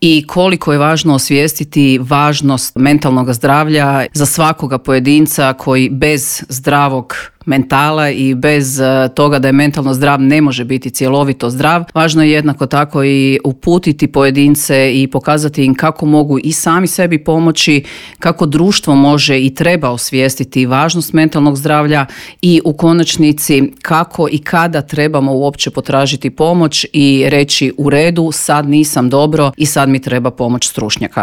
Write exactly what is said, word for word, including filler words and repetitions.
i koliko je važno osvijestiti važnost mentalnog zdravlja za svakoga pojedinca koji bez zdravog mentala i bez toga da je mentalno zdrav ne može biti cjelovito zdrav. Važno je jednako tako i uputiti pojedince i pokazati im kako mogu i sami sebi pomoći, kako društvo može i treba osvijestiti važnost mentalnog zdravlja i u konačnici kako i kada trebamo uopće potražiti pomoć i reći u redu, sad nisam dobro i sad mi treba pomoć stručnjaka.